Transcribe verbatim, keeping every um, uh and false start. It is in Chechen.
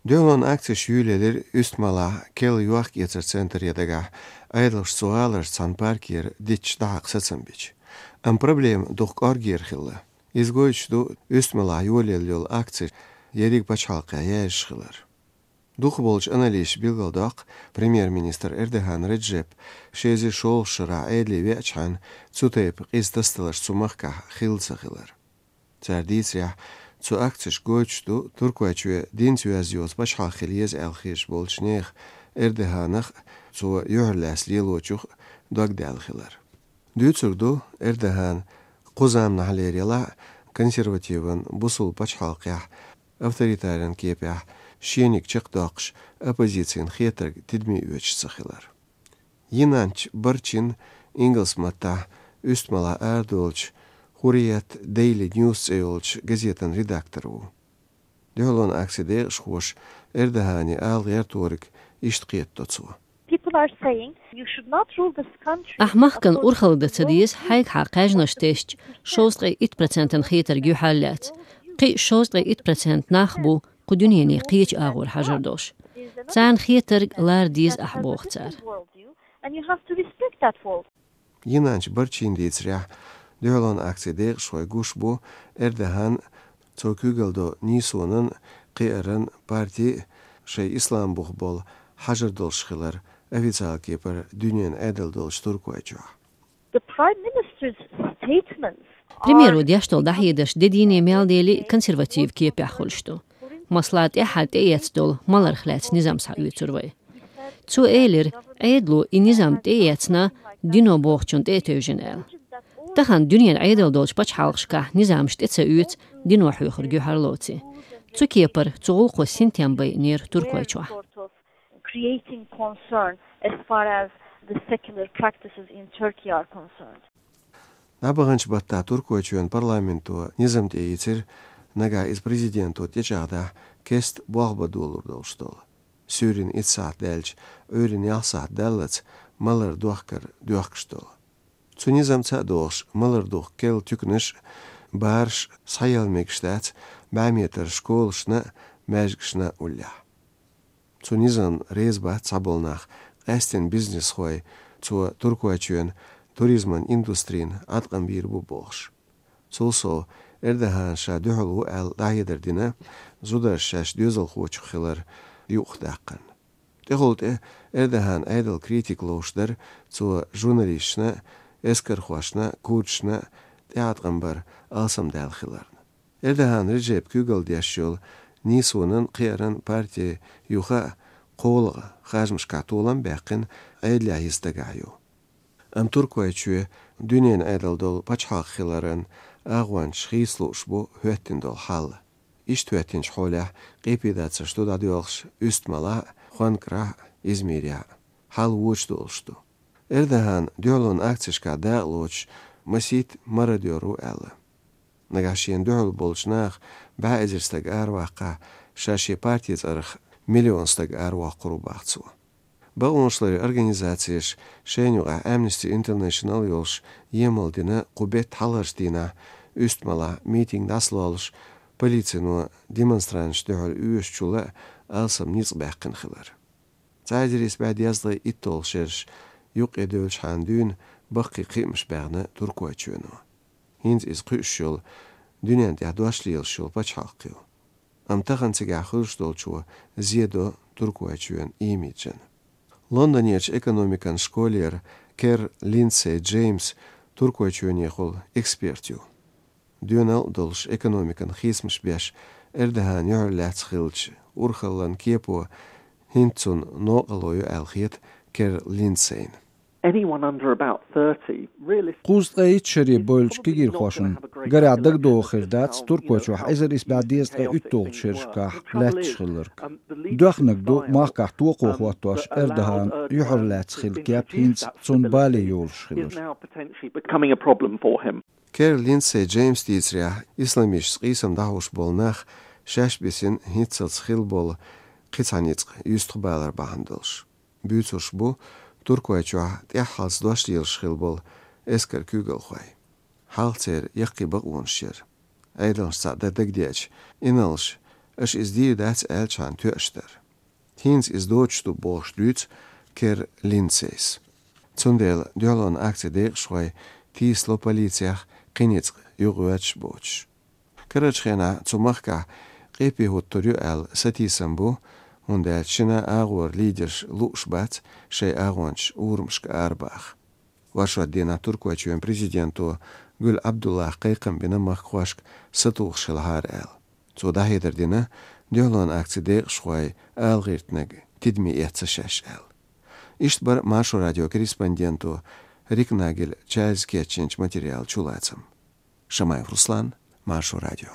Дуьхьалон акцеш йолаелира Уьстмалахь керла йохк-эцара центре дагахь, Ӏедалхоша цу гӀаларчу цхьана паркера дитташ дӀахьакха сацам бича. Амма проблема дукха кӀоргера хилла. Иза гойтуш ду Уьстмалахь йолаелла йолу акцеш ерриг пачхьалкхехь яьржаш хилар. Дукхахболчу аналитикаша билгалдоккху, премьер-министр Эрдоган Реджеп ши эзар шолгӀачу шарахь Ӏедале веачхьана, цу тайпа къиза тасадаларш цу махкахь хилла ца хилар. Цара дийцарехь, цу акцеша гойтуш ду Туркойчоь динца йоьзна йоцу пачхьалкх хила еза аьлла хеташ болчу нехан, Эрдоганах а, цо юьхьарлаьцна лелочух а догдаьлла хилар. Дуьйцург ду, Эрдоган кху заманахьлера елахь а консервативан бусулба пачхьалкхехь, авторитаран кепехь шениг чекхдоккхуш, оппозицина хетарг тидаме оьцуш ца хилар. Йинанч Барчин, ингалс маттахь Уьстмалахь арадолучу Хуррият Дейли Ньюс цӀе йолчу газетан редактор ву. Дуьхьалон акцин декъашхоша Эрдогане ала гӀерториг иштта кхетадо цо. People are saying you should not rule this country. Ахь махкана урхалла дан ца деза, хьайгахьа кхаьжнаш тесча, шовзткъе итт процентан хетарг юьхьарлаьцна. Кхин а шовзткъе итт процент нах бу кху дуьнене кхечу агӀор хьажар долуш. Царна хетарг лара деза ахь, боху цара. And you have to respect that world. Йинанч Барчин дийцарехь, дуьхьалон акцин декъашхой гуш бу Эрдоган, цо куьйгалла долу НИСУ-н кхиаран парти а шайн ислам бух болу хьажар долуш хилар официалан кепара дуьненан Ӏедал долчу Туркойчохь. The Prime Minister's statements are Премьеро деш долу дӀахьедарш де дийне мел дели консерватив кепехь хуьлуш ду. Масала, тӀаьххьара тӀеэцна долу маларх лаьцна низам схьаоьцур вай. Цо элира, Ӏедало и низам тӀеэцна, дино бохучунна тӀе а тевжина аьлла. Тахана дуьненан Ӏедал долчу пачхьалкхашкахь низамаш тӀе ца оьцу, дино хьоьхург юьхьарлоций. Цу кепара цу гӀуллакхо синтем байинера Туркойчохь. Creating concern as far as the secular practices in Turkey are concerned. ДӀабаханчу баттахь Туркойчоьнан парламенто низам тӀеийцира, нагахь иза президенто тӀечӀагӀдахь, кеста болх бан долур долуш долу. Суьйранна итт сахьт даьлча, Ӏуьйранна ялх сахьт даллалц малар дохкар доьхкуш долу. Цу низамца а догӀуш, малар духку керла туьканаш а, бараш а схьаелла мегаш дац бӀе метр школашна а, маьждигашна а уллехь. Цу низамна реза бац цхьаболу нах, къаьсттина бизнесхой, цо Туркойчоьнан туризман индустрина Ӏаткъам бийр бу бохуш. Цул сов, Эрдоган ша дуьхьал ву аьлла дӀахьедар дина, зударша шаьш доьзалхочух хилар юкъахдаккхарна. ТӀехула тӀе Эрдоган Ӏедал критика ловш дара, цо журналисташна а, эскархошна а, курдашна а тӀеӀаткъам бар алсамдаьлла хиларна. Эрдоган Реджепа куьйгалла деш йолу НИСУ-н кхиаран парти юха а кхоалгӀа харжамашкахь толам а баьккхина, Ӏедалехь йиса дагахь ю. Амма Туркойчоь дуьненан Ӏедал долу пачхьалкх хиларан агӀончаш хийца лууш бу хӀоьттина долу хьал. Иштта хӀоьттинчу хьолехь къепедацарш ду дӀадоьлхуш Уьстмалахь а, Хонкарахь а, Измирехь а. Хьал вочу долуш ду. Эрдоган дуьхьалон акцешкахь дакъалоцуш масийтта мародёр ву аьлла. Нагахь шена дуьхьал болчу наха бӀе эзар стаг араваккхахь, ша шен парти цӀарах миллион стаг аравоккхур ву боху цо. Бакъонаш ларъяран организацеша, шайна юкъахь Amnesty International йолуш, емал дина кху беттан хьалхарчу дийнахь Уьстмалахь митинг дӀасалоллуш, полицино демонстранташна дуьхьал оьшучул а алсам ницкъ баьккхина хилар. Цхьа эзар исс бӀе дезткъе итталгӀа шераш юккъе девллачхьана дуьйна баккхий кхиамаш баьхна Туркойчоьно. ХӀинца иза кхуьуш йолу, дуьненна тӀехь дош лелаш йолу пачхьалкх ю. Амма тахана цигахь хуьлуш долчо зе до Туркойчоьнан имиджана. Лондонерчу экономикан школера Кер Линдсей Джеймс Туркойчоьнехула эксперт ю. Доьналла а долуш экономикан хийцамаш беш, Эрдоган юьхьарлаьцна хиллачу урхаллан кепо хӀинца цунна новкъарло ю аьлла хета Кер Линдсейна. Anyone under about thirty, realistically, Кхузткъе итт шаре бевллачу кегийрхошна, гарехь, дагадогӀу хир дац Туркойчохь эзар исс бӀе дезткъе уьтталгӀачу шерашкахь лаьтташ хилларг. Доьхнарг ду махкахь токхо хӀоттош Эрдоган юьхьарлаьцна хилла кеп хӀинца цунна бале йолуш хилар. Is now potentially becoming a problem for him. Кер Линдсей Джеймс дийцарехь, исламисташца къийсам дӀахьош болу нах шаьш бисина хӀинццалц хилла болу кхин цхьа ницкъ юьстахбалар бахьана долуш. Буьйцурш бу Туркойчохь тӀаьххьалц дош лелаш хилла болу эскаран куьйгалхой. Хьалха церан яккхий бакъонаш яра. Ӏедалшна цхьаъ дан дагадеъча, инарлаш аша иза дийр дац аьлча хьан тоьаш дара. ХӀинца иза доцуш ду бохуш дуьйцу Кер Линдсейс. Цундела дуьхьалонан акцин декъашхой тийсало полицех кхин ницкъ юхавоьрзуш боцуш. Карарчу хенахь цу махкахь къепе хӀуттур ю аьлла сатийсам бу, хӀунда аьлча шина агӀора лидерш лууш бац шайн агӀончаш урамашка арабаха. Варшот дийнахь Туркойчоьнан президенто Гуьл Абдуллах кхайкхам бина махкахошка сатухуш хилахьара аьлла. Цо дӀахьедар дина, дуьхьалонан акцин декъашхой ала гӀиртинарг тидаме эцна шаьш аьлла. Иштта бара Маршо радион корреспонденто Рикнагель Чарльза кечйинчу материалан чулацам. Шамаев Руслан, Маршо радио.